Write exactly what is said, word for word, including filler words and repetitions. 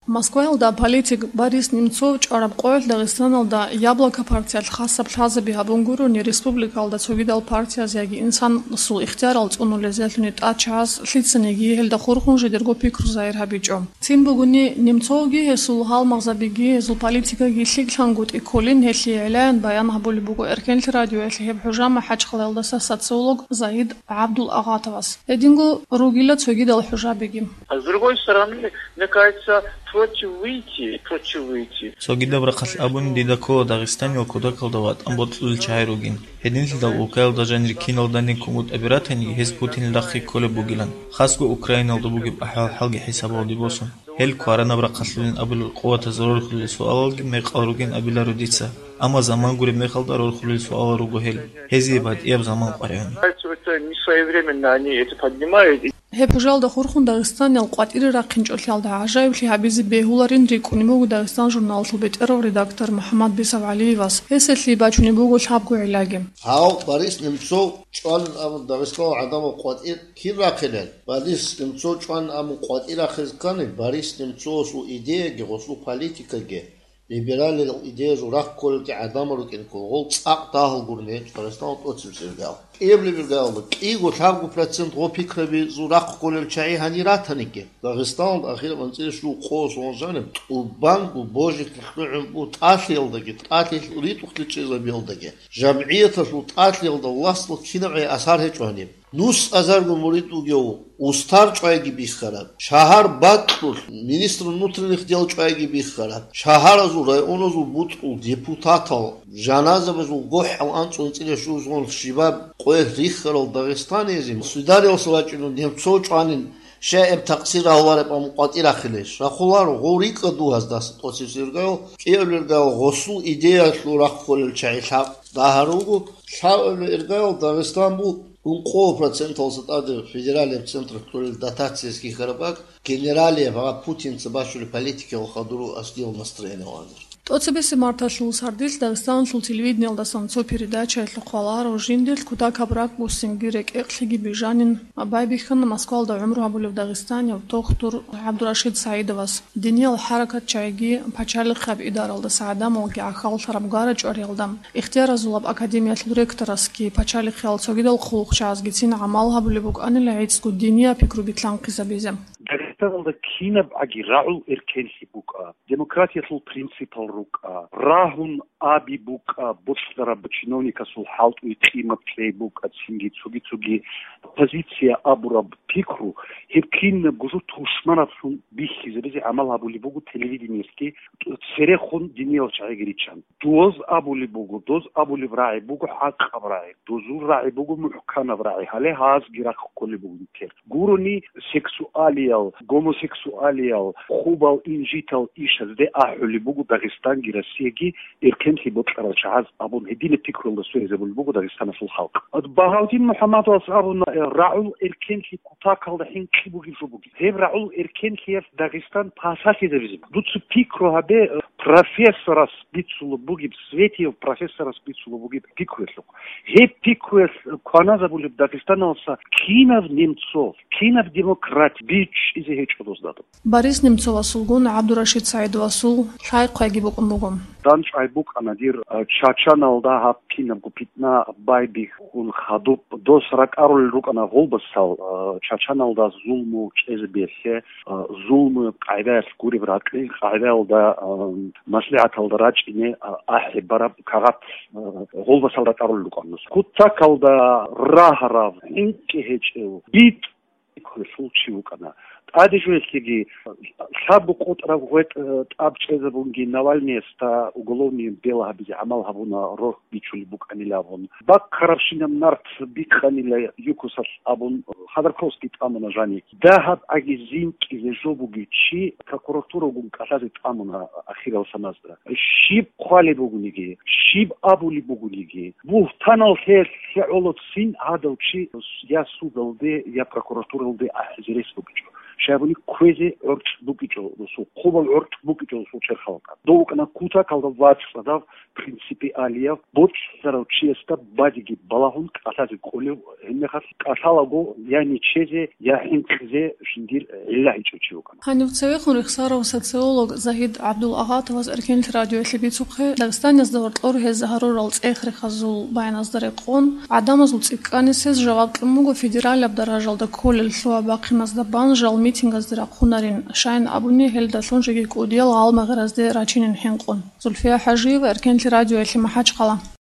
Москваялда политик Борис Немцов чӀвараб къоялъ Дагъистаналда «Яблоко» партиялъ хасаб лъазаби гьабун гурони, республикалда цогидал партияз яги инсанасул ихтиярал цӀунулезелъуни тӀад чагӀаз лъицаниги гьелда хурхун жидерго пикру загьир гьабичӀо. Цин бугони, Немцовги гьесул гьалмагъзабиги, гьезул политикаги лъикӀлъангутӀи кколин, гьелъие гӀелаян баян гьабулеб буго Эркенлъи радиоялъ гьеб хӀужа МахӀачхъалаялдаса социолог Заид ГӀабдул-Агъатовас. Гьединго ругила цогидал хӀужабиги. А с другой стороны, мне кажется, против выйти, против выйти. Цогидаб рахъалъ абуни, дида ккола Дагъистанил кутакалда ватӀан бокьулел чагӀи ругин. Гьединлъидал улкаялда жанир киналдани кумутӀаби ратаниги, гьез Путинил рахъги кколеб бугилан, хасго Украиналда бугеб ахӀвал-хӀалги хӀисабалде босун. Гьел кваранаб рахъалъулин абулел къуватаз рорхулел суалалги мекъал ругин абиларо дица. Амма заман гуреб мехалда рорхулел суалал руго гьел. Гьезие батӀияб заман къваригӀуна. Это несвоевременно они это поднимают. Гьеб хӀужалда хурхун Дагъистаниял къватӀире рахъинчӀолъиялда гӀажаиблъи гьабизе бегьуларин рикӀкӀунеб буго Дагъистан журналалъул бетӀерав редактор МухӀаммад Бисав ГӀалиевас. Гьесие бачунеб буго лъабго гӀиллаги. Гьав Борис Немцов чӀванин абун Дагъистанал гӀадамал къватӀир кин рахъинел? Борис Немцов чӀванин абун къватӀир рахъизе ккани, Борис Немцовасул идеяги гъосул политикаги либералил идеязул рахъ кколелги гӀадамал рукӀин ккола, гъол цӀакъ дагьал гурони гьечӀо Дагъистаналда тӀоцебесеб иргаялда. КӀиябго лъабго процент гъо пикрабизул рахъ кколел чагӀи гьанир ратаниги, Дагъистаналда ахираб анцӀила щуго къо солон жаниб тӀубанго божиклъи лъугӀун буго тӀалъиялдаги, тӀалъи ритӀухълъи чӀезабиялдаги, жамгӀияталъул тӀалъиялда власталъ кинабгӀи асар гьечӀо гьаниб. Нус азарго мурид вугев устар чӀвайги бихьараб, шагьар бакьулъ министр внутренних дел чӀвайги бихьараб, шагьаразул, районазул бутӀрул депутатал, жаназабазул гохӀал анцӀго анцӀила щуго солон щибаб къоялъ рихьарал дагъистаниязин, сударелъа вачӀинун Немцов чӀванин, щай гьеб такъсир рагьулареб абун къватӀир рахъилейищ? Рахъуларо, гъов рикӀкӀад вугьаздаса тӀоцебесеб иргаялда, кӀиабилеб иргаялда гъосул идеялъул рахъ кколел чагӀи лъаб дагьал руго, лъабабилеб иргаялда Дагъистан буго ункъо проценталдаса тӀаде федералияб централъ кьолел дотациялъ хьихьараб бакӀ, генералияб гьаб Путинца бачулеб политикаялъул хадур асдиял настроение ванир. ТӀоцебесеб марталъул сардилъ Дагъистаналъул телевидениялдасан цо передачаялъухъ валагьарав жиндилъ кутакаб ракӀ буссинги рекӀекълъиги бижанин байбихьана Москвалда гӀумру гьабулев дагъистанияв тохтур ГӀабдурашид СагӀидовас. Диниял хӀаракатчагӀиги пачалихъияб идаралдаса гӀадамалги гӀахьаллъараб гара чӀвариялда, ихтияразулаб академиялъул ректорасги пачалихъиял цогидал хъулухъчагӀазгицин гӀамал гьабулеб букӀанила гӀицӀго диниял пикру битлъанхъизабизе. Дагъистаналда кинабгӀаги рагӀул эркенлъи букӀа, демократиялъул принципал рукӀа, рагьун аби букӀа, бокьараб чиновникасул хӀалтӀуе къимат лъей букӀа, цинги цоги-цоги позиция абураб пикру, гьеб кинабго жо тушманаблъун бихьизабизе гӀамал гьабулеб буго телевидениялъги, церехун диниял чагӀиги риччан. Доз абулеб буго, доз абулеб рагӀи буго хӀакъаб рагӀи, дозул рагӀи буго мухӀканаб рагӀи, гьале гьазги рахъ кколеб буго нилъер. Гурони сексуалиял, гомосексуалиял, хъубал инжитал ишазде ахӀулеб буго Дагъистанги Россияги эркенлъи бокьарал чагӀаз абун гьединаб пикруялда сверизабулеб буго Дагъистаналъул халкъ. Багьавдин МухӀаммадовас абуна, э, рагӀул эркенлъи кутакалда хӀинкъи бугеб жо бугеб. Гьеб рагӀул эркенлъиялъ Дагъистан пасалъизабизе. Дуца пикру гьабе, э, профессорас бицулеб бугеб, Светиев профессорас бицулеб бугеб пикруялъухъ. Гьеб пикруялъ кваназабулеб Дагъистаналдаса кинаб Немцов, кинаб демократ бичӀчӀизе гьечӀо дозда. Борис Немцовасулгун ГӀабдурашид СагӀидовасул лъай-хъвайги букӀун буго. ДандчӀвай букӀана дир, а, Чачаналда гьаб кинабго питна байбихьун хадуб. Дос ракӀарулел рукӀана гъолбасал, а, Чачаналда зулму чӀезабиялъе, а, зулму къагӀидаялъ гуреб ракьи, къагӀидаялда, а, маслигӀаталда рачӀине, а, ахӀи бараб кагъат, а, гъолбасал ракӀарулел рукӀана. Кутакалда рагьарав, хӀинкъи гьечӀев, битӀ пикруялъул чи вукӀана. ТӀаде жо гьелъеги, лъабго къотӀраб гъветӀ, э, тӀаб чӀезабунги Навальныясда уголовный дело гьабизе гӀамал гьабуна, рорхь бичулеб букӀанилан абун. Баккарабщинаб нарт бикъанила ЮКОСалъ абун, Ходорковский тӀамуна жани. ДагьабгӀаги зинкӀизе жо бугев чи прокуратурагун кӀалъазе тӀамуна ахирал саназда. Щиб хъвалеб бугониги, щиб абулеб бугониги, бугьтанал лъе-, лъегӀолоцин гьадав чи я судалде, я прокуратуралде ахӀизе рес бугичӀо. Щайгуни кквезе гӀоркь букӀичӀо росул, хъубал гӀоркь букӀичӀо росул черхалда. Дов вукӀана кутакалда вацӀцӀадав, принципиалияв, боцӀцӀарав чиясда бадиги балагьун кӀалъазе кӀолев, гьебмехалъ кӀалъалаго я нечезе, я хӀинкъизе жиндир гӀилла гьечӀев чи вукӀана. Гьанив цевехун рехсарав социолог Загьид ГӀабдулагъатовас Эркенлъи радиоялъе бицухъе, Дагъистаназда гьоркьор гьез гьарурал цӀех-рехазул баяназда рекъон, гӀадамазул цӀикӀкӀанисез жаваб кьун буго федералияб даражалда кколел лъугьа-бахъиназда бан жал митингазде рахъунарин, щайин абуни, гьелдалъун жеги кӀудиял гъалмагъиразде рачинин хӀинкъун. Зульфия ХӀажиева, Эркенлъи радиоялъе, МахӀачхъала.